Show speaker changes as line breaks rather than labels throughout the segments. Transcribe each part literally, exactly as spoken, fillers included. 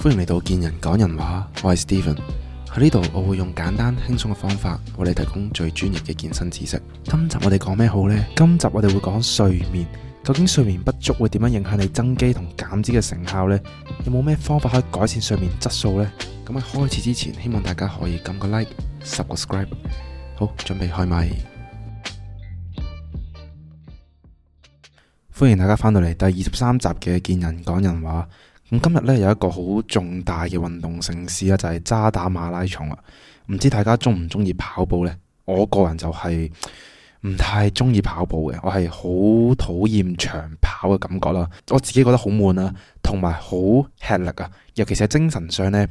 歡迎嚟到健人講人話，我係 Steven。喺呢度我會用簡單輕鬆嘅方法為你提供最專業嘅健身知識。今集我哋講咩好呢？今集我哋會講睡眠。究竟睡眠不足會點樣影響你增肌同減脂嘅成效呢？有冇咩方法可以改善睡眠質素呢？咁喺開始之前，希望大家可以撳個 like、subscribe。好，準備開咪。歡迎大家翻到嚟第二十三集嘅健人講人話。咁今日咧有一個好重大嘅運動盛事啊，就係渣打馬拉松啦。唔知大家中唔中意跑步呢？我個人就係唔太中意跑步嘅，我係好討厭長跑嘅感覺啦。我自己覺得好悶啦，同埋好吃力啊，尤其是喺精神上呢，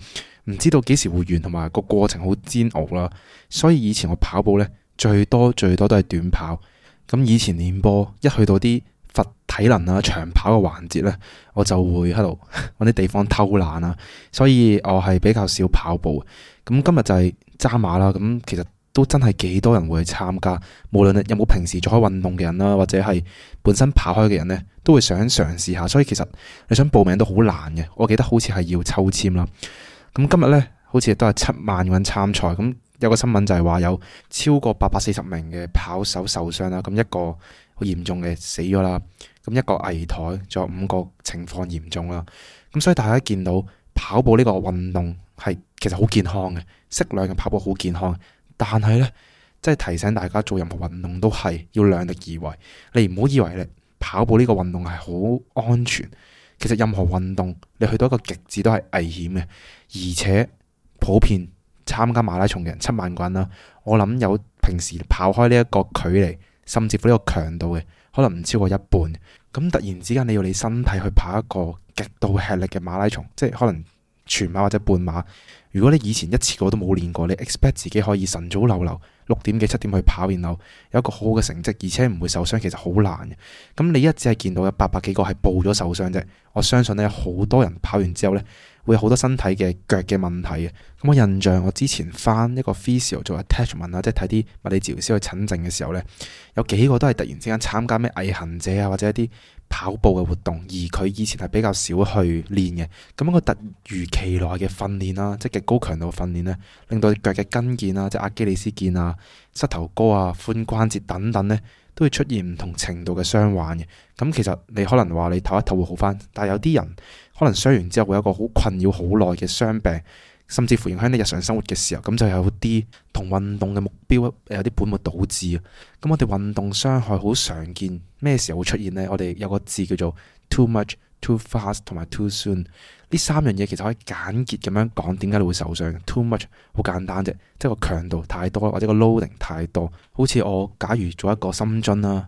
唔知道幾時會完，同埋個過程好煎熬啦。所以以前我跑步呢，最多最多都係短跑。咁以前練波一去到啲罰體能啊長跑嘅環節呢，我就會喺度揾啲地方偷懶啊，所以我係比較少跑步。咁今日就係渣馬啦，咁其實都真係幾多人會去參加，無論有冇平時做開運動嘅人啦，或者係本身跑開嘅人呢，都會想嘗試下。所以其實你想報名都好難嘅，我記得好似係要抽籤啦。咁今日呢，好似都係七萬個人參賽，咁有個新聞就係話有超過八百四十名嘅跑手受傷啦，咁一個好嚴重嘅死咗啦，咁一個危殆，仲有五個情況嚴重啦。咁所以大家見到跑步呢個運動係其實好健康嘅，適量嘅跑步好健康。但係呢，即係提醒大家做任何運動都係要量力而為。你唔好以為咧跑步呢個運動係好安全，其實任何運動你去到一個極致都係危險嘅，而且普遍參加馬拉松嘅人七萬個人啦，我諗有平時跑開呢一個距離，甚至乎呢個強度嘅，可能唔超過一半。咁突然之間你要你身體去跑一個極度吃力嘅馬拉松，即係可能全馬或者半馬。如果你以前一次過都冇練過，你 expect 自己可以晨早流流六點幾七點去跑，然後有一個好好嘅成績，而且唔會受傷，其實好難嘅。咁你一只係見到有八百幾個係報咗受傷啫，我相信呢，有好多人跑完之後呢，會有好多身體嘅腳嘅問題嘅。咁我印象我之前翻一個 physio 做 attachment 啊，即係睇啲物理治療師去診症嘅時候呢，有幾個都係突然之間參加咩毅行者啊，或者一啲跑步嘅活動，而佢以前係比較少去練嘅。咁一個突如其來嘅訓練啦，即係極高強度嘅訓練呢，令到腳嘅跟腱啊，即係阿基里斯腱啊、膝頭哥啊、髖關節等等呢，都會出現唔同程度嘅傷患嘅。咁其實你可能話你唞一唞會好翻，但係有啲人可能傷完之後會有一個好困擾好耐嘅傷病，甚至乎影響你日常生活嘅時候，咁就有啲同運動嘅目標有啲本末倒置啊。咁我哋運動傷害好常見，咩時候會出現呢？我哋有個字叫做 too much、too fast 同埋 too soon。呢三樣嘢其實可以簡潔咁樣講，點解你會受傷。too much 好簡單啫，即係個強度太多，或者個 loading 太多。好似我假如做一個深蹲啦，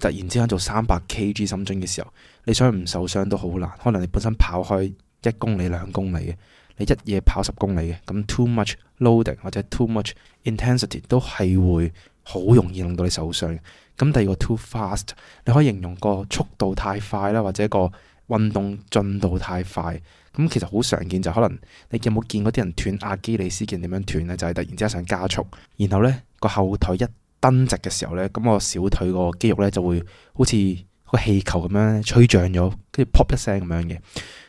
突然之間做三百 kg 深蹲嘅時候，你想唔受傷都好難。可能你本身跑開一公里兩公里嘅，你一夜跑十公里嘅，咁 too much loading 或者 too much intensity 都係會好容易令到你受傷。咁第二個 too fast， 你可以形容個速度太快啦，或者個運動進度太快。咁其實好常見就可能你有冇見過啲人斷阿基里斯腱點樣斷呢？就係、是、突然之間想加速，然後呢個後腿一蹬直嘅時候呢，咁我小腿個肌肉呢就會好似個氣球咁樣吹脹咗，跟住 pop 一聲咁樣嘅。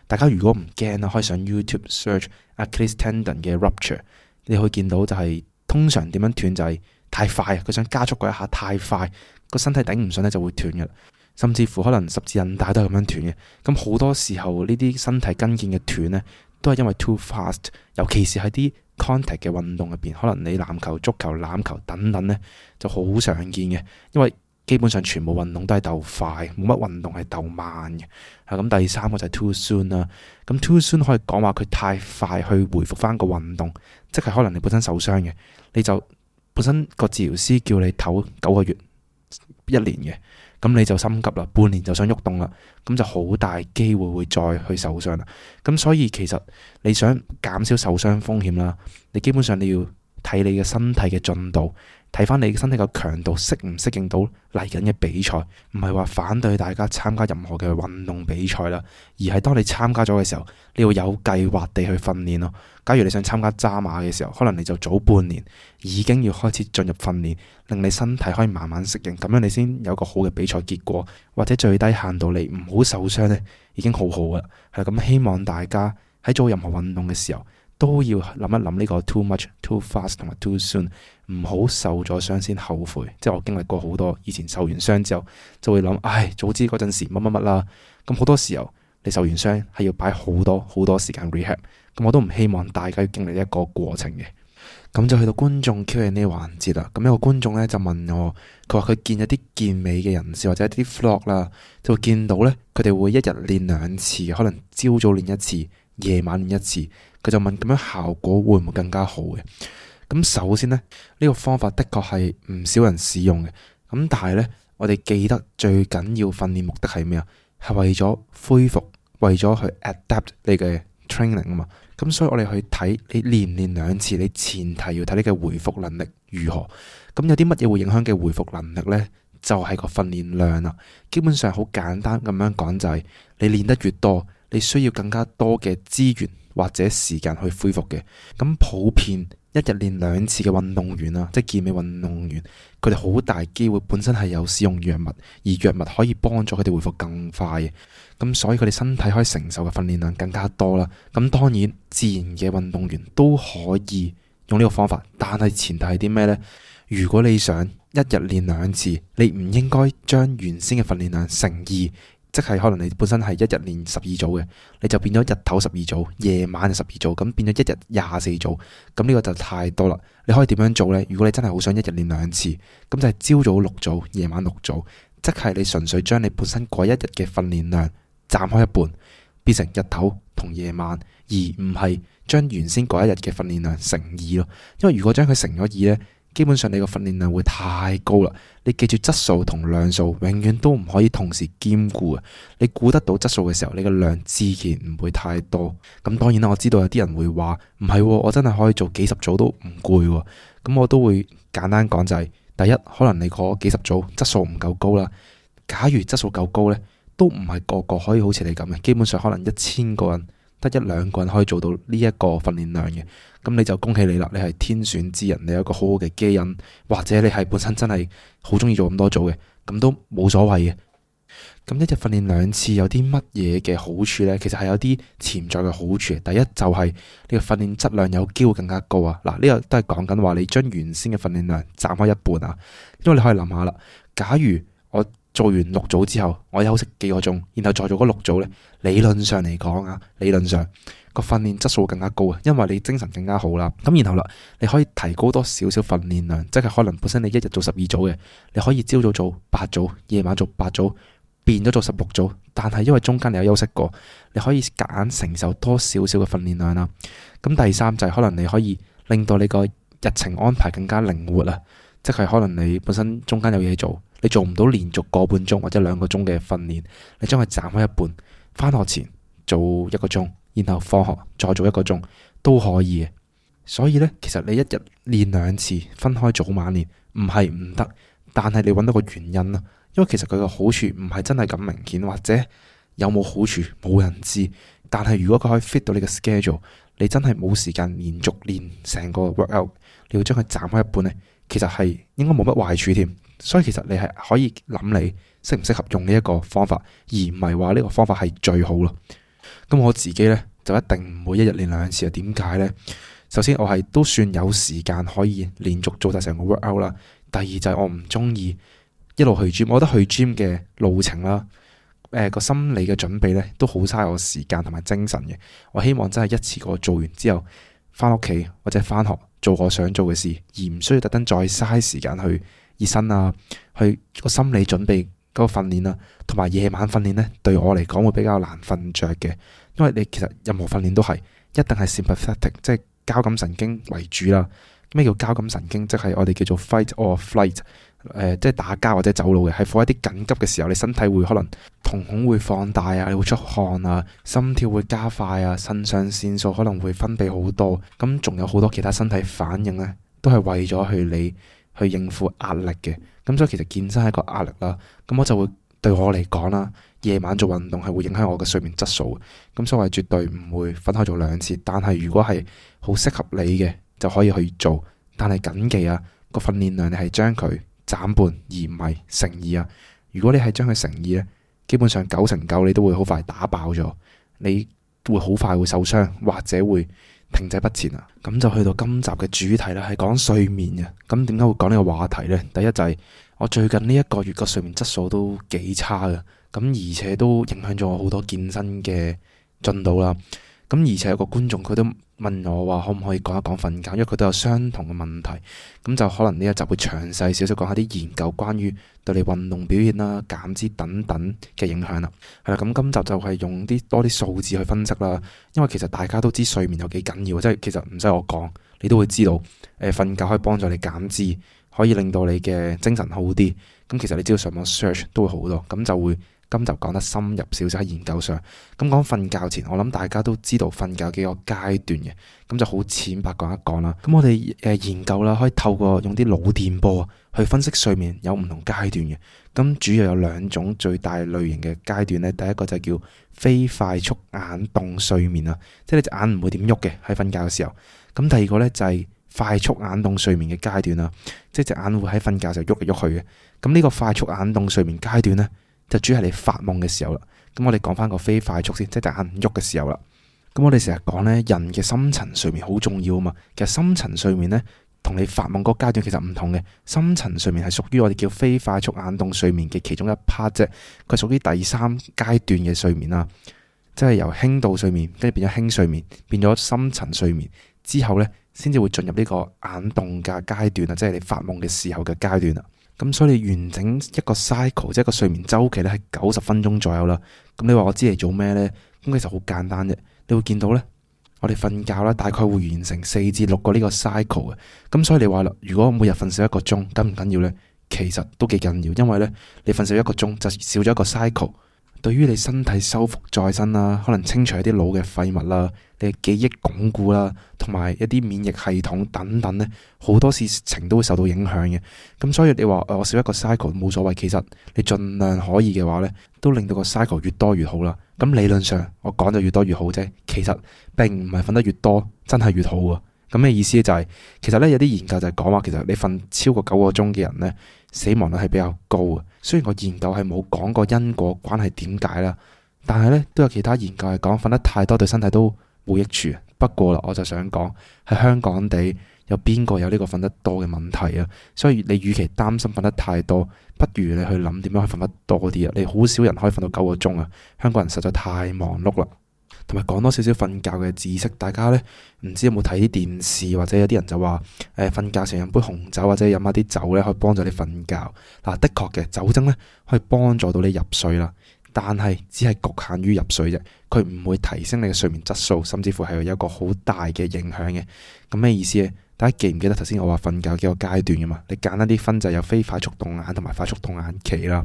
大家如果唔驚啦，可以上 YouTube search Achilles tendon 嘅 rupture， 你可以見到就係、是、通常點樣斷就係太快，佢想加速嗰一下太快，個身體頂唔順咧就會斷嘅。甚至乎可能十字韌帶都係咁樣斷嘅。咁好多時候呢啲身體跟腱嘅斷呢，都係因為 too fast， 尤其是喺啲 contact 嘅運動入邊，可能你籃球、足球、欖球等等呢，就好常見嘅。因為基本上全部運動都係鬥快，冇乜運動係鬥慢嘅。咁第三個就係 too soon 啦。咁 too soon 可以講話佢太快去回復翻個運動，即係可能你本身受傷嘅，你就本身個治療師叫你唞九個月、一年嘅。咁你就心急啦，半年就想喐動啦，咁就好大機會會再去受傷啦。咁所以其實你想減少受傷風險啦，你基本上你要睇你嘅身體嘅進度，睇翻你嘅身體嘅強度適唔適應到嚟緊嘅比賽，唔係話反對大家參加任何嘅運動比賽啦，而係當你參加咗嘅時候，你要有計劃地去訓練咯。假如你想參加渣馬嘅時候，可能你就早半年已經要開始進入訓練，令你身體可以慢慢適應，咁樣你先有個好嘅比賽結果，或者最低限度你唔好受傷呢，已經好好噶啦。係咁，希望大家喺做任何運動嘅時候，都要諗一諗呢個 too much、too fast 同埋 too soon，唔好受咗傷先後悔。即係我經歷過好多，以前受完傷之後就會諗，唉，早知嗰陣時乜乜乜啦。咁好多時候你受完傷係要擺好多好多時間 rehab，咁我都唔希望大家要經歷一個過程嘅。咁就去到觀眾 Q and A 環節啦。咁一個觀眾咧就問我，佢話佢見一啲健美嘅人士或者一啲 vlog 啦，就會見到咧佢哋會一日練兩次，可能朝早練一次，夜晚練一次。佢就問咁樣效果會唔會更加好嘅？咁首先呢，呢個方法的確係唔少人使用嘅。咁但係呢，我哋記得最緊要訓練目的係咩啊？係為咗恢復，為咗去 adapt 你嘅 training 啊嘛。咁所以我哋去睇你練唔練兩次，你前提要睇你嘅回復能力如何。咁有啲乜嘢會影響嘅回復能力呢？就係個訓練量啦。基本上好簡單咁樣講就係，你練得越多，你需要更加多嘅資源或者時間去恢復嘅。咁普遍一日練兩次嘅運動員啦，即係健美運動員，佢哋好大機會本身係有使用藥物，而藥物可以幫助佢哋恢復更快嘅。咁所以佢哋身體可以承受嘅訓練量更加多啦。咁當然自然嘅運動員都可以用呢個方法，但係前提係啲咩呢？如果你想一日練兩次，你唔應該將原先嘅訓練量乘二，即係可能你本身係一日練十二組嘅，你就變咗日頭十二組，夜晚就十二組，咁變咗一日廿四組。咁呢個就太多啦。你可以點樣做呢？如果你真係好想一日練兩次，咁就係朝早六組，夜晚六組，即係你純粹將你本身嗰一日嘅訓練量斬開一半，變成日頭同夜晚，而唔係將原先嗰一日嘅訓練量乘二咯。因為如果將佢乘咗二呢，基本上你個訓練量會太高啦。你記住質素同量數永遠都唔可以同時兼顧啊！你估得到質素嘅時候，你個量自然唔會太多。咁當然啦，我知道有啲人會話唔係，我真係可以做幾十組都唔攰。咁我都會簡單講就係，第一，可能你嗰幾十組質素唔夠高啦。假如質素夠高呢，都唔係個個可以好似你咁嘅。基本上可能一千個人得一兩個人可以做到呢一個訓練量嘅。咁你就恭喜你啦，你係天選之人，你有一個好好嘅基因，或者你係本身真係好中意做咁多組嘅，咁都冇所謂嘅。咁一日訓練兩次有啲乜嘢嘅好處呢？其實係有啲潛在嘅好處。第一就係你嘅訓練質量有機會更加高啊！嗱，呢個都係講緊話你將原先嘅訓練量斬開一半啊。因為你可以諗下啦，假如我做完六組之後，我休息幾個鐘，然後再做嗰六組呢，理論上嚟講啊，理論上個訓練質素更加高啊，因為你精神更加好啦。咁然後啦，你可以提高多少少訓練量，即係可能本身你一日做十二組嘅，你可以朝早做八組，夜晚做八組，變咗做十六組。但係因為中間你有休息過，你可以夾硬承受多少少嘅訓練量啦。咁第三就係可能你可以令到你個日程安排更加靈活啊，即係可能你本身中間有嘢做，你做唔到連續個半鐘或者兩個鐘嘅訓練，你將佢斬開一半，返學前做一個鐘，然後放學再做一個鐘都可以嘅。所以呢，其實你一日練兩次，分開早晚練，唔係唔得，但係你揾到個原因啦。因為其實佢個好處唔係真係咁明顯，或者有冇好處冇人知。但係如果佢可以 fit 到你嘅 schedule，你真係冇時間連續練成個 workout，你要將佢斬開一半呢，其實係應該冇乜壞處添。所以其實你係可以諗你適唔適合用呢一個方法，而唔係話呢個方法係最好咯。咁我自己呢，就一定唔會一日練兩次啊。點解呢？首先我係都算有時間可以連續做晒成個 workout 啦。第二就係我唔中意一路去 gym，我覺得去 gym 嘅路程啦，誒、呃、個心理嘅準備呢都好嘥我時間同埋精神嘅。我希望真係一次過做完之後，翻屋企或者翻學做我想做嘅事，而唔需要特登再嘥時間去熱身啊，去個心理準備嗰個訓練啦，同埋夜晚訓練呢，對我嚟講會比較難瞓着嘅。因為你其實任何訓練都係一定係 sympathetic，即係交感神經為主啦。咩叫交感神經？即係我哋叫做 fight or flight，誒、呃，即係打交或者走路嘅，係喺一啲緊急嘅時候，你身體會可能瞳孔會放大啊，你會出汗啊，心跳會加快啊，腎上腺素可能會分泌好多，咁仲有好多其他身體反應呢，都係為咗去你去應付壓力嘅。咁所以其實健身係一個壓力啦。咁我就會對我嚟講啦，夜晚做運動係會影響我嘅睡眠質素嘅。咁所以我係絕對唔會分開做兩次。但係如果係好適合你嘅，就可以去做。但係謹記啊，個訓練量你係將佢斬半，而唔係乘二啊。如果你係將佢乘二呢，基本上九成九你都會好快打爆咗。你會好快會受傷或者會停滯不前啊。咁就去到今集嘅主題啦，係講睡眠嘅。咁點解會講呢個話題呢？第一就係我最近呢一個月個睡眠質素都幾差嘅，咁而且都影響咗我好多健身嘅進度啦。咁而且有個觀眾佢都問我話可唔可以講一講瞓覺，因為佢都有相同嘅問題。咁就可能呢一集會詳細少少講下啲研究關於對你運動表現啦、減脂等等嘅影響啦。係啦，咁今集就係用啲多啲數字去分析啦。因為其實大家都知睡眠有幾緊要，即係其實唔使我講，你都會知道。誒、呃，瞓覺可以幫助你減脂，可以令到你嘅精神好啲。咁其實你只要上網 search 都會好多，咁就會。今集講得深入少少喺研究上。咁講瞓覺前，我諗大家都知道瞓覺幾個階段嘅，咁就好淺白講一講啦。咁我哋誒研究啦，可以透過用啲腦電波去分析睡眠有唔同階段嘅。咁主要有兩種最大類型嘅階段咧，第一個就叫非快速眼動睡眠啊，即係你隻眼唔會點喐嘅喺瞓覺嘅時候。咁第二個咧就係快速眼動睡眠嘅階段啦，即係隻眼會喺瞓覺就喐嚟喐去嘅。咁呢個快速眼動睡眠階段咧，就主要係你發夢嘅時候啦。咁我哋講翻個非快速先，即係隻眼唔喐嘅時候啦。咁我哋成日講呢，人嘅深層睡眠好重要啊嘛。其實深層睡眠呢，同你發夢嗰個階段其實唔同嘅。深層睡眠係屬於我哋叫非快速眼動睡眠嘅其中一 part 啫。佢屬於第三階段嘅睡眠啦，即係由輕度睡眠跟住變咗輕睡眠，變咗深層睡眠之後呢，先至會進入呢個眼動嘅階段啊，即係你發夢嘅時候嘅階段啦。咁所以你完整一個 cycle， 即係一個睡眠週期咧，係九十分鐘左右啦。咁你話我知嚟做咩呢？咁其實好簡單啫。你會見到呢，我哋瞓覺啦，大概會完成四至六個呢個 cycle 嘅。咁所以你話啦，如果每日瞓少一個鐘，緊唔緊要呢？其實都幾緊要，因為呢，你瞓少一個鐘就少咗一個 cycle。對於你身體修復再生啦，可能清除一啲腦嘅廢物啦，你嘅記憶鞏固啦，同埋一啲免疫系統等等呢，好多事情都會受到影響嘅。咁所以你話我少一個 cycle 冇所謂，其實你盡量可以嘅話呢，都令到個 cycle 越多越好啦。咁理論上我講就越多越好啫，其實並唔係瞓得越多真係越好啊。咁嘅意思就係、是，其實呢，有啲研究就係講話，其實你瞓超過九個鐘嘅人呢，死亡率係比較高啊。雖然個研究係冇講過因果關係點解啦，但係呢都有其他研究係講瞓得太多對身體都冇益處。不過啦，我就想講喺香港地有邊個有呢個瞓得多嘅問題啊？所以你與其擔心瞓得太多，不如你去諗點樣去瞓得多啲啊！你好少人可以瞓到九個鐘啊！香港人實在太忙碌啦。同埋講多少少瞓覺嘅知識，大家呢唔知有冇睇啲電視，或者有啲人就話誒瞓覺成日飲杯紅酒或者飲下啲酒呢，可以幫助你瞓覺。嗱，的確嘅酒精呢可以幫助到你入睡啦，但係只係局限於入睡啫，佢唔會提升你嘅睡眠質素，甚至乎係有一個好大嘅影響嘅。咁咩意思呢？大家記唔記得頭先我話瞓覺幾個階段㗎嘛？你簡單啲分就有非快速動眼同埋快速動眼期啦。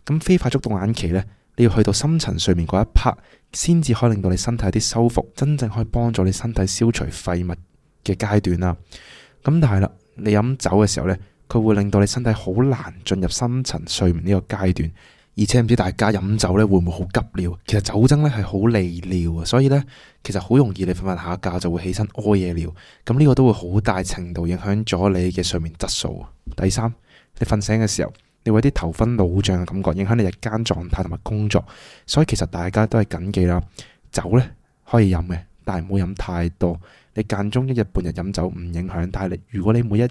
咁非快速動眼期呢，你要去到深層睡眠嗰一 part，先至可以令到你身體有啲修復，真正可以幫助你身體消除廢物嘅階段啦。咁但係啦，你飲酒嘅時候呢，佢會令到你身體好難進入深層睡眠呢個階段。而且唔知大家飲酒呢會唔會好急尿？其實酒精呢係好利尿啊，所以呢，其實好容易你瞓瞓下覺就會起身屙夜尿。咁呢個都會好大程度影響咗你嘅睡眠質素。第三，你瞓醒嘅時候，你會有啲頭昏腦脹嘅感覺，影響你日間狀態同埋工作。所以其實大家都係謹記啦，酒呢可以飲嘅，但係唔好飲太多。你間中一日半日飲酒唔影響，但係你如果你每一日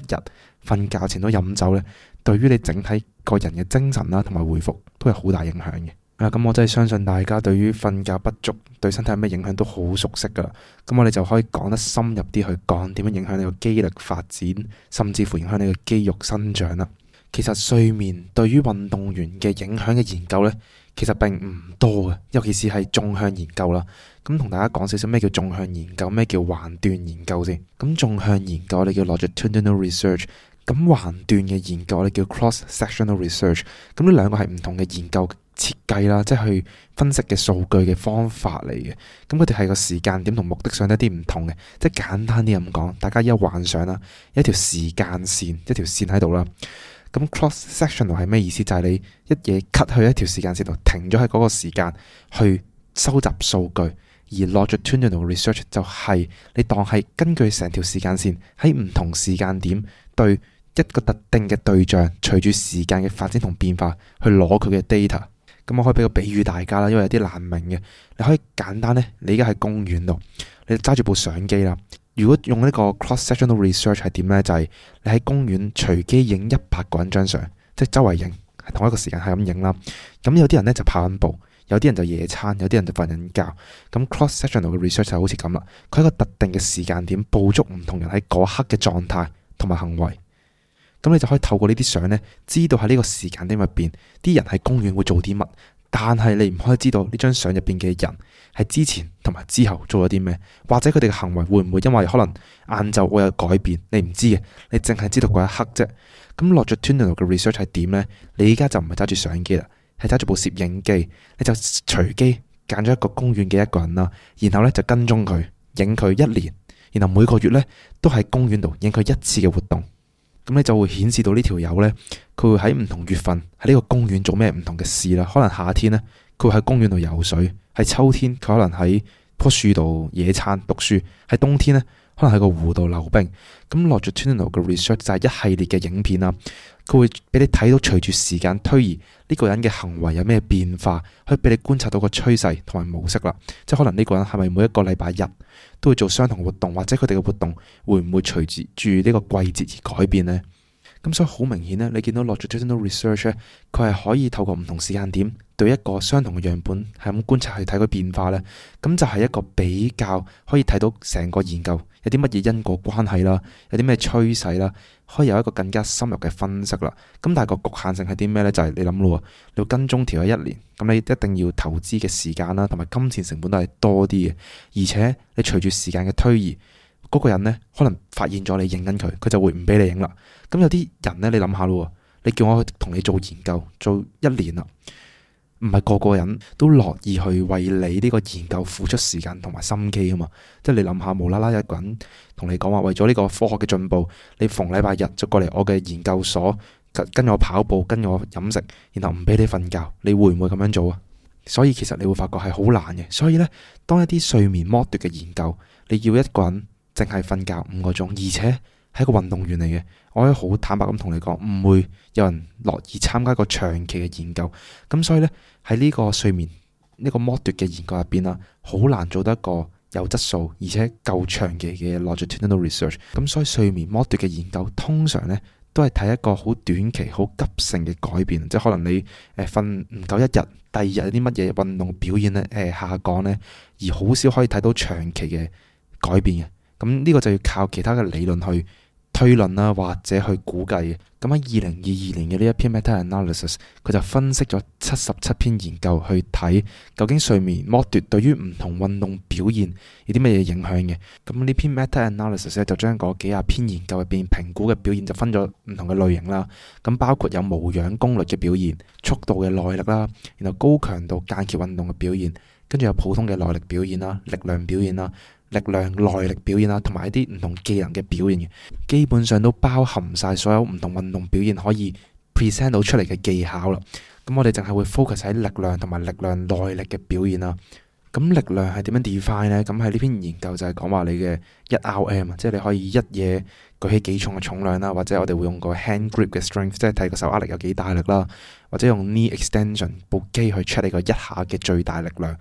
瞓覺前都飲酒呢，對於你整體個人嘅精神啦同埋回復都係好大影響嘅。啊，咁我真係相信大家對於瞓覺不足對身體有咩影響都好熟悉噶啦。咁我哋就可以講得深入啲去講點樣影響你個肌力發展，甚至乎影響你個肌肉生長啦。其實睡眠對於運動員嘅影響嘅研究呢，其實並唔多嘅，尤其是係縱向研究啦。咁同大家講少少咩叫縱向研究，咩叫橫斷研究先。咁縱向研究我哋叫 longitudinal research， 咁橫斷嘅研究我哋叫 cross-sectional research。咁呢兩個係唔同嘅研究設計啦，即係去分析嘅數據嘅方法嚟嘅。咁佢哋係個時間點同目的上一啲唔同嘅。即係簡單啲咁講，大家依家幻想啦，一條時間線，一條線喺度啦。咁 cross-sectional 係咩意思？就係、是、你一嘢 cut 去一條時間線度，停咗喺嗰個時間去收集數據。而 longitudinal research 就係你當係根據成條時間線喺唔同時間點對一個特定嘅對象，隨住時間嘅發展同變化去攞佢嘅 data。咁我可以俾個比喻大家啦，因為有啲難明嘅。你可以簡單呢，你而家喺公園度，你揸住部相機啦。如果用呢個 cross-sectional research 係點呢？就係、是、你喺公園隨機影一百個人張相，即係周圍影，係同一個時間係咁影啦。咁有啲人呢就跑緊步，有啲人就野餐，有啲人就瞓緊覺。咁 cross-sectional 嘅 research 就好似咁啦，佢喺一個特定嘅時間點捕捉唔同人喺嗰刻嘅狀態同埋行為。咁你就可以透過呢啲相呢，知道喺呢個時間點入邊，啲人喺公園會做啲乜。但係你唔可以知道呢張相入邊嘅人係之前同埋之後做咗啲咩，或者佢哋嘅行為會唔會因為可能晏晝會有改變，你唔知嘅，你淨係知道嗰一刻啫。咁 longitudinal 嘅 research 係點呢？你而家就唔係揸住相機啦，係揸住部攝影機，你就隨機揀咗一個公園嘅一個人啦，然後呢就跟蹤佢，影佢一年，然後每個月呢都喺公園度影佢一次嘅活動。咁你就會顯示到呢條友呢，佢會喺唔同月份喺呢個公園做咩唔同嘅事啦。可能夏天呢，佢會喺公園度游水；喺秋天，佢可能喺棵樹度野餐讀書；喺冬天呢，可能喺個湖度溜冰。咁 longitudinal 嘅 research 就係一系列嘅影片啦，佢會俾你睇到隨住時間推移呢個人嘅行為有咩變化，可以俾你觀察到個趨勢同埋模式啦。即係可能呢個人係咪每一個禮拜日都會做相同活動，或者佢哋嘅活動會唔會隨住呢個季節而改變呢？咁所以好明顯呢，你見到 longitudinal research 咧，佢係可以透過唔同時間點對一個相同嘅樣本係咁觀察去睇佢變化呢。咁就係一個比較可以睇到成個研究有啲乜嘢因果關係啦，有啲咩趨勢啦，可以有一個更加深入嘅分析啦。咁但係個局限性係啲咩呢？就係、是、你諗咯，你要跟蹤條友一年，咁你一定要投資嘅時間啦，同埋金錢成本都係多啲嘅。而且你隨住時間嘅推移，嗰、那個人呢可能發現咗你影緊佢，佢就會唔俾你影啦。咁有啲人呢，你諗下咯，你叫我同你做研究做一年啦，唔係個個人都樂意去為你呢個研究付出時間同埋心機啊嘛。即係你諗下，無啦啦一個人同你講話，為咗呢個科學嘅進步，你逢禮拜日就過嚟我嘅研究所跟我跑步，跟我飲食，然後唔俾你瞓覺，你會唔會咁樣做啊？所以其實你會發覺係好難嘅。所以呢，當一啲睡眠剝奪嘅研究，你要一個人淨係瞓覺五個鐘，而且係一個運動員嚟嘅，我可以好坦白咁同你講，唔會有人樂意參加一個長期嘅研究。咁所以呢，喺呢個睡眠呢個剝奪嘅研究入邊啦，好難做得一個有質素而且夠長期嘅 longitudinal research。咁所以睡眠剝奪嘅研究通常呢都係睇一個好短期、好急性嘅改變，即係可能你誒瞓唔夠一日，第二日有啲乜嘢運動表現咧誒、呃、下降呢，而好少可以睇到長期嘅改變嘅。咁呢個就要靠其他嘅理論去推論啦，或者去估計嘅。咁喺二零二二年嘅呢一篇 meta-analysis， 佢就分析咗七十七篇研究去睇究竟睡眠剝奪對於唔同運動表現有啲乜嘢影響嘅。咁呢篇 meta-analysis 咧就將嗰幾廿篇研究入邊評估嘅表現就分咗唔同嘅類型啦。咁包括有無氧功率嘅表現、速度嘅耐力啦，然後高強度間歇運動嘅表現，跟住有普通嘅耐力表現啦、力量表現啦、力量耐力表現啦，同埋一啲唔同技能嘅表現嘅，基本上都包含晒所有唔同運動表現可以 present 到出嚟嘅技巧啦。咁我哋淨係會 focus 喺力量同埋力量耐力嘅表現啦。咁力量係點樣 define 呢？咁喺呢篇研究就係講話你嘅一 R M， 即係你可以一嘢舉起幾重嘅重量啦，或者我哋會用個 hand grip 嘅 strength， 即係睇個手握力有幾大力啦，或者用 knee extension 部機去 check 你個一下嘅最大力量。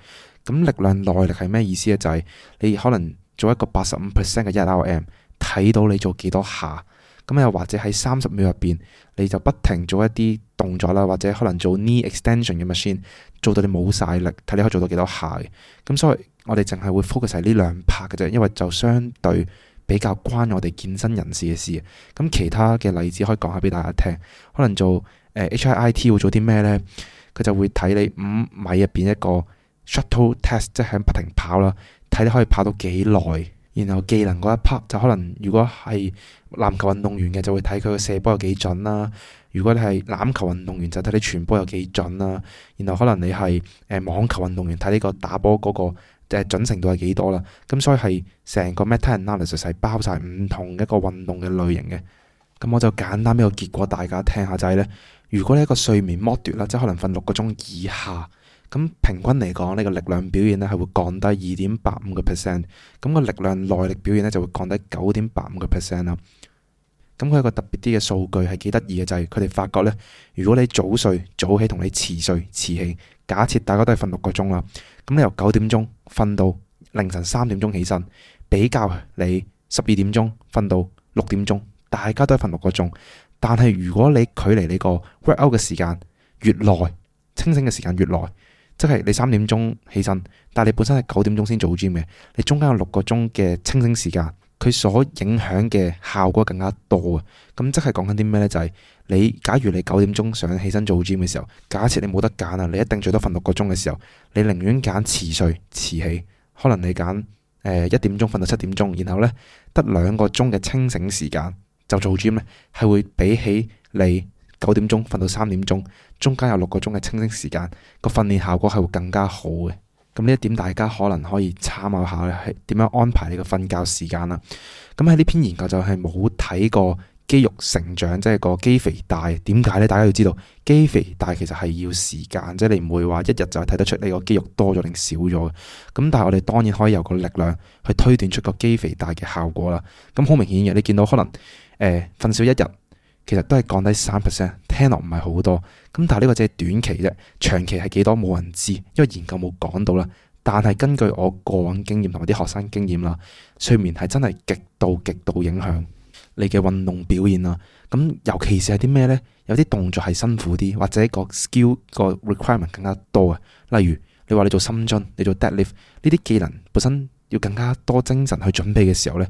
咁力量耐力係咩意思咧？就係、是、你可能做一個八十五 percent 嘅一 R M， 睇到你做幾多下。咁又或者喺三十秒入邊，你就不停做一啲動作啦，或者可能做 knee extension 嘅 machine， 做到你冇晒力，睇你可以做到幾多下嘅。咁所以我哋淨係會 focus 喺呢兩 part 嘅啫，因為就相對比較關我哋健身人士嘅事。咁其他嘅例子可以講下俾大家聽。可能做誒、呃、H I I T 會做啲咩呢？佢就會睇你五米入邊一個shuttle test， 即係不停跑啦，睇你可以跑到幾耐。然後技能嗰一 part 就可能如果係籃球運動員嘅，就會睇佢個射波有幾準啦。如果你係籃球運動員，就睇你傳波有幾準啦。然後可能你係誒網球運動員，睇呢個打波嗰個誒準程度係幾多啦。咁所以係成個 meta-analysis 係包晒唔同一個運動嘅類型嘅。咁我就簡單俾個結果大家聽下，就係呢：如果你一個睡眠剝奪啦，即係可能瞓六個鐘以下，咁平均嚟講，呢個力量表現咧係會降低二點八五個 percent， 咁個力量耐力表現咧就會降低九點八五個 percent 啦。咁佢有個特別啲嘅數據係幾得意嘅，就係佢哋發覺咧，如果你早睡早起同你遲睡遲起假設大家都係瞓六個鐘啦，咁你由九點鐘瞓到凌晨三點鐘起身，比較你十二點鐘瞓到六點鐘，大家都係瞓六個鐘。但係如果你距離你個 workout 嘅時間越耐，清醒嘅時間越耐，即係你三點鐘起身，但係你本身係九點鐘先做 gym 嘅，你中間有六個鐘嘅清醒時間，佢所影響嘅效果更加多啊！咁即係講緊啲咩呢？就係、是、你假如你九點鐘想起身做 gym 嘅時候，假設你冇得揀啊，你一定最多瞓六個鐘嘅時候，你寧願揀遲睡遲起，可能你揀誒一點鐘瞓到七點鐘，然後呢得兩個鐘嘅清醒時間就做 gym 呢，係會比起你九點鐘瞓到三點鐘，中間有六個鐘嘅清醒時間，個訓練效果係會更加好嘅。咁呢一點大家可能可以參考下咧，係點樣安排你個瞓覺時間啦。咁喺呢篇研究就係冇睇過肌肉成長，即係個肌肥大。點解呢？大家要知道肌肥大其實係要時間，即係你唔會話一日就係睇得出你個肌肉多咗定少咗嘅。咁但係我哋當然可以有個力量去推斷出個肌肥大嘅效果啦。咁好明顯嘅，你見到可能誒瞓少一日，其實都係降低三 percent， 聽落唔係好多。咁但係呢個只係短期啫，長期係幾多冇人知，因為研究冇講到啦。但係根據我過往經驗同埋啲學生經驗啦，睡眠係真係極度極度影響你嘅運動表現啦。咁尤其是係啲咩呢？有啲動作係辛苦啲，或者個 skill 個 requirement 更加多啊。例如你話你做深蹲，你做 deadlift 呢啲技能本身要更加多精神去準備嘅時候呢，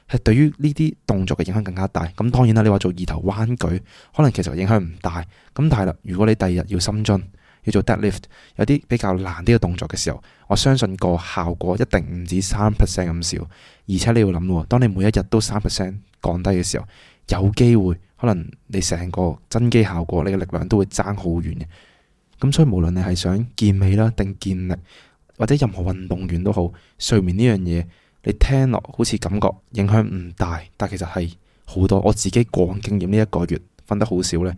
係對於呢啲動作嘅影響更加大。咁當然啦，你話做二頭彎舉，可能其實影響唔大。咁但係啦，如果你第二日要深蹲，要做 deadlift， 有啲比較難啲嘅動作嘅時候，我相信個效果一定唔止三 percent 咁少。而且你要諗喎，當你每一日都三 percent 降低嘅時候，有機會可能你成個增肌效果，你嘅力量都會爭好遠嘅。咁所以無論你係想健美啦，定健力，或者任何運動員都好，睡眠呢樣嘢，你聽落好似感覺影響唔大，但其實係好多。我自己過往經驗呢一個月瞓得好少呢，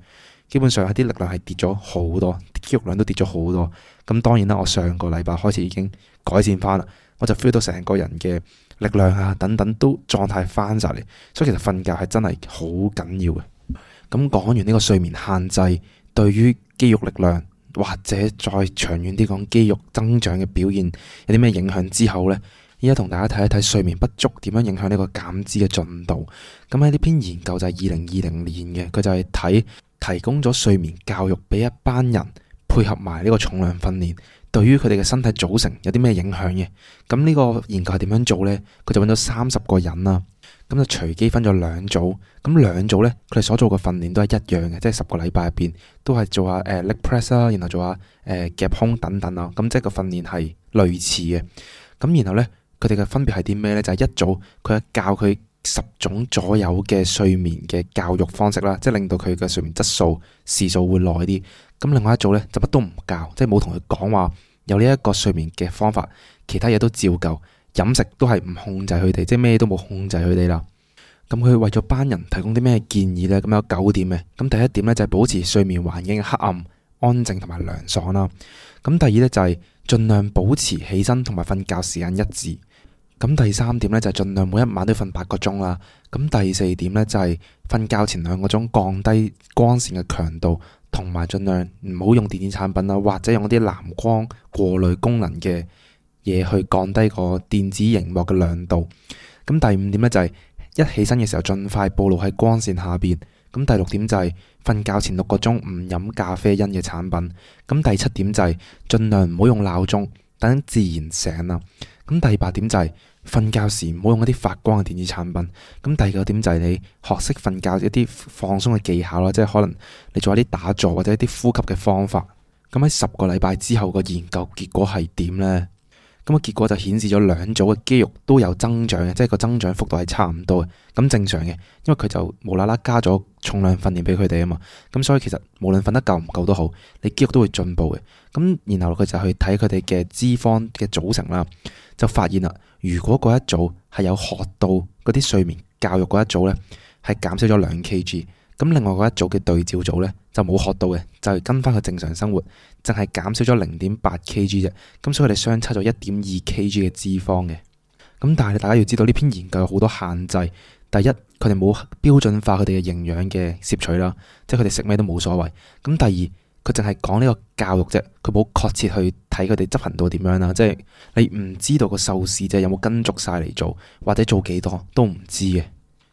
基本上係啲力量係跌咗好多，肌肉量都跌咗好多。咁當然啦，我上個禮拜開始已經改善翻啦，我就 feel 到成個人嘅力量啊等等都狀態翻晒嚟。所以其實瞓覺係真係好緊要嘅。咁講完呢個睡眠限制對於肌肉力量，或者再長遠啲講肌肉增長嘅表現有啲咩影響之後呢，依家同大家睇一睇睡眠不足點樣影響呢個減脂嘅進度。咁喺呢篇研究就係二零二零年嘅，佢就係睇提供咗睡眠教育俾一班人，配合埋呢個重量訓練，對於佢哋嘅身體組成有啲咩影響嘅。咁呢個研究係點樣做呢？佢就揾咗三十個人啦，咁就隨機分咗兩組。咁兩組呢，佢哋所做嘅訓練都係一樣嘅，即係十個禮拜入邊都係做下誒 leg press 啦，然後做下誒夾胸等等啊。咁即係個訓練係類似嘅。咁然後呢，佢哋嘅分別係啲咩呢？就係一組佢係教佢十種左右嘅睡眠嘅教育方式啦，即係令到佢嘅睡眠質素時數會耐啲。咁另外一組呢，就乜都唔教，即係冇同佢講話有呢一個睡眠嘅方法，其他嘢都照舊，飲食都係唔控制佢哋，即係咩都冇控制佢哋啦。咁佢為咗班人提供啲咩建議呢？咁有九點嘅。咁第一點呢，就係保持睡眠環境嘅黑暗、安靜同埋涼爽啦。咁第二呢，就係盡量保持起身同埋瞓覺時間一致。咁第三點呢，就係盡量每一晚都瞓八個鐘啦。咁第四點呢，就係瞓覺前兩個鐘降低光線嘅強度，同埋盡量唔好用電子產品啦，或者用啲藍光過濾功能嘅嘢去降低個電子熒幕嘅亮度。咁第五點呢，就係一起身嘅時候盡快暴露喺光線下邊。咁第六點就係瞓覺前六個鐘唔飲咖啡因嘅產品。咁第七點就係盡量唔好用鬧鐘，等自然醒啦。咁第八點就係瞓覺時唔好用一啲發光嘅電子產品。咁第九點就係你學識瞓覺一啲放鬆嘅技巧啦，即係可能你做一啲打坐或者一啲呼吸嘅方法。咁喺十個禮拜之後個研究結果係點呢？咁個結果就顯示咗兩組嘅肌肉都有增長嘅，即係個增長幅度係差唔多嘅。咁正常嘅，因為佢就無啦啦加咗重量訓練俾佢哋啊嘛。咁所以其實無論瞓得夠唔夠都好，你肌肉都會進步嘅。咁然後佢就去睇佢哋嘅脂肪嘅組成啦，就發現啦，如果嗰一組係有學到嗰啲睡眠教育嗰一組呢，係減少咗兩 kg。咁另外嗰一組嘅對照組呢，就冇學到嘅，就係跟翻佢正常生活，淨係減少咗零點八 kg 啫。咁所以佢哋相差咗一點二 kg 嘅脂肪嘅。咁但係大家要知道呢篇研究有好多限制。第一，佢哋冇標準化佢哋嘅營養嘅攝取啦，即係佢哋食咩都冇所謂。咁第二，佢淨係講呢個教育啫，佢冇確切去睇佢哋執行到點樣啦。即係你唔知道個受試者有冇跟足晒嚟做，或者做幾多都唔知嘅。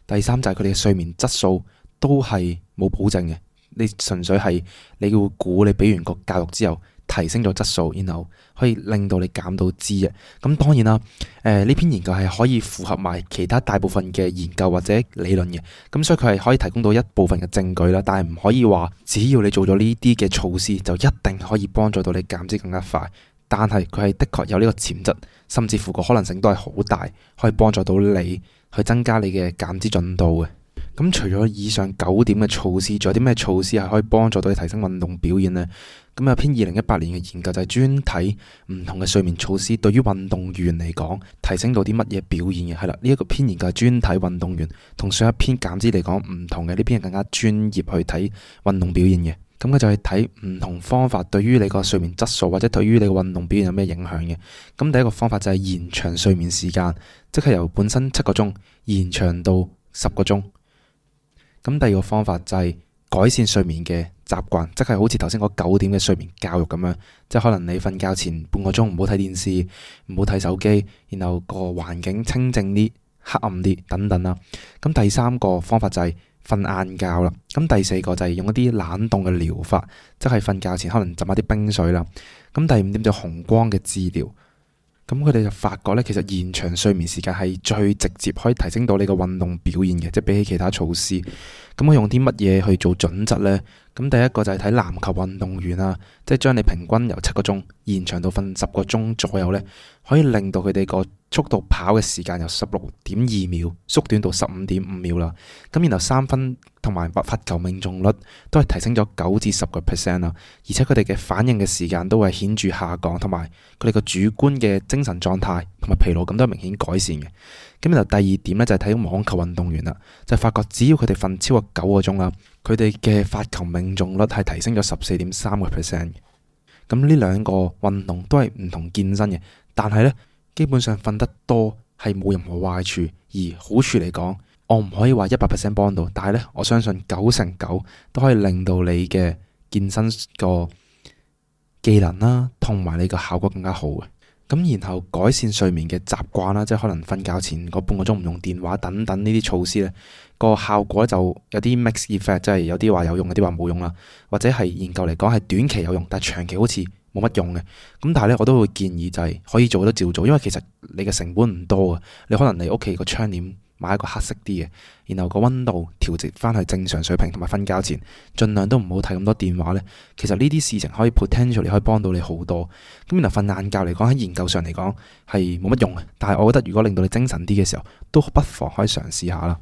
第三就係佢哋嘅睡眠質素都係冇保證嘅，你純粹係你會估你俾完個教育之後提升咗質素，然後可以令到你減到脂嘅。咁當然啦，誒、呃、呢篇研究係可以符合埋其他大部分嘅研究或者理論嘅，咁所以佢係可以提供到一部分嘅證據啦，但係唔可以話只要你做咗呢啲嘅措施就一定可以幫助到你減脂更加快。但係佢係的確有呢個潛質，甚至乎個可能性都係好大，可以幫助到你去增加你嘅減脂進度嘅。咁除咗以上九點嘅措施，仲有啲咩措施係可以幫助到你提升運動表現呢？咁有篇二零一八年嘅研究就係專睇唔同嘅睡眠措施對於運動員嚟講提升到啲乜嘢表現嘅。係啦，呢一個篇研究係專睇運動員，同上一篇減脂嚟講唔同嘅，呢篇係更加專業去睇運動表現嘅。咁佢就係睇唔同方法對於你個睡眠質素或者對於你個運動表現有咩影響嘅。咁第一個方法就係延長睡眠時間，即係由本身七個鐘延長到十個鐘。咁第二個方法就係改善睡眠嘅習慣，即係好似頭先嗰九點嘅睡眠教育咁樣，即係可能你瞓覺前半個鐘唔好睇電視，唔好睇手機，然後個環境清靜啲、黑暗啲等等啦。咁第三個方法就係瞓晏覺啦。咁第四個就係用一啲冷凍嘅療法，即係瞓覺前可能浸下啲冰水啦。咁第五點就紅光嘅治療。咁佢哋就發覺咧，其實延長睡眠時間係最直接可以提升到你個運動表現嘅，即係比起其他措施。咁我用啲乜嘢去做準則呢？咁第一個就係睇籃球運動員啊，即係將你平均由七個鐘延長到瞓十個鐘左右呢，可以令到佢哋個速度跑嘅時間由十六點二秒縮短到十五點五秒啦。咁然後三分同埋罰球命中率都係提升咗九至十個 percent 啦，而且佢哋嘅反應嘅時間都係顯著下降，同埋佢哋個主觀嘅精神狀態同埋疲勞感都係明顯改善嘅。咁然後第二點咧就係睇網球運動員啦，就係發覺只要佢哋瞓超過九個鐘啦，佢哋嘅發球命中率係提升咗十四點三個 percent 嘅。咁呢兩個運動都係唔同健身嘅，但係咧基本上瞓得多係冇任何壞處，而好處嚟講，我唔可以話一百 percent 幫到，但係咧我相信九成九都可以令到你嘅健身個技能啦，同埋你個效果更加好嘅。咁然後改善睡眠嘅習慣啦，即係可能瞓覺前嗰半個鐘唔用電話等等呢啲措施咧，個效果就有啲 mixed effect，即係有啲話有用，有啲話冇用啦，或者係研究嚟講係短期有用，但係長期好似冇乜用嘅。咁但係咧我都會建議就係可以做都照做，因為其實你嘅成本唔多嘅，你可能你屋企個窗簾買一個黑色啲嘅，然後個溫度調節翻去正常水平，同埋瞓覺前盡量都唔好睇咁多電話呢。其實呢啲事情可以 potentially 可以幫到你好多。咁然後瞓晏覺嚟講，喺研究上嚟講係冇乜用嘅，但係我覺得如果令到你精神啲嘅時候，都不妨可以嘗試下啦。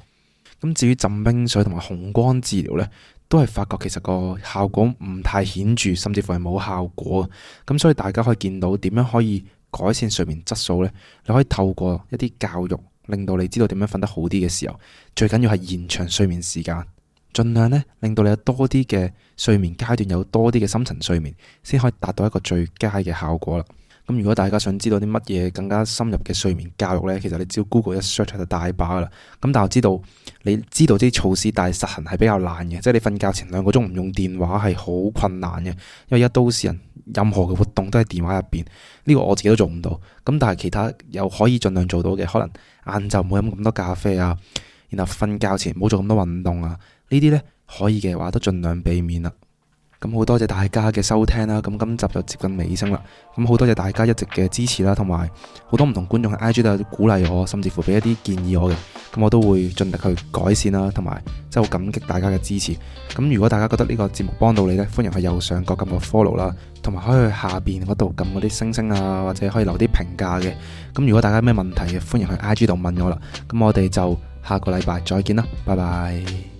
咁至於浸冰水同埋紅光治療呢，都係發覺其實個效果唔太顯著，甚至乎係冇效果。咁所以大家可以見到點樣可以改善睡眠質素呢？你可以透過一啲教育，令到你知道點樣瞓得好啲嘅時候，最緊要係延長睡眠時間，盡量咧令到你有多啲嘅睡眠階段，有多啲嘅深層睡眠，先可以達到一個最佳嘅效果啦。咁如果大家想知道啲乜嘢更加深入嘅睡眠教育呢，其實你只要 Google 一 search 就大把噶啦。咁但係我知道你知道啲措施，但係實行係比較難嘅，即係你瞓覺前兩個鐘唔用電話係好困難嘅，因為而家都市人任何嘅活動都喺電話入邊，呢個我自己都做唔到。咁但係其他又可以盡量做到嘅，可能晏晝唔好飲咁多咖啡啊，然後瞓覺前唔好做咁多運動啊，呢啲呢可以嘅話都盡量避免啦。咁好多謝大家嘅收聽啦，咁今集就接近尾聲啦。咁好多謝大家一直嘅支持啦，同埋好多唔同觀眾喺 I G 都有鼓勵我，甚至乎俾一啲建議我嘅。咁我都會盡力去改善啦，同埋真係好感激大家嘅支持。咁如果大家覺得呢個節目幫到你呢，歡迎去右上角撳個 follow 啦，同埋可以去下邊嗰度撳嗰啲星星啊，或者可以留啲評價嘅。咁如果大家有咩問題嘅，歡迎去 I G 度問我啦。咁我哋就下個禮拜再見啦，拜拜。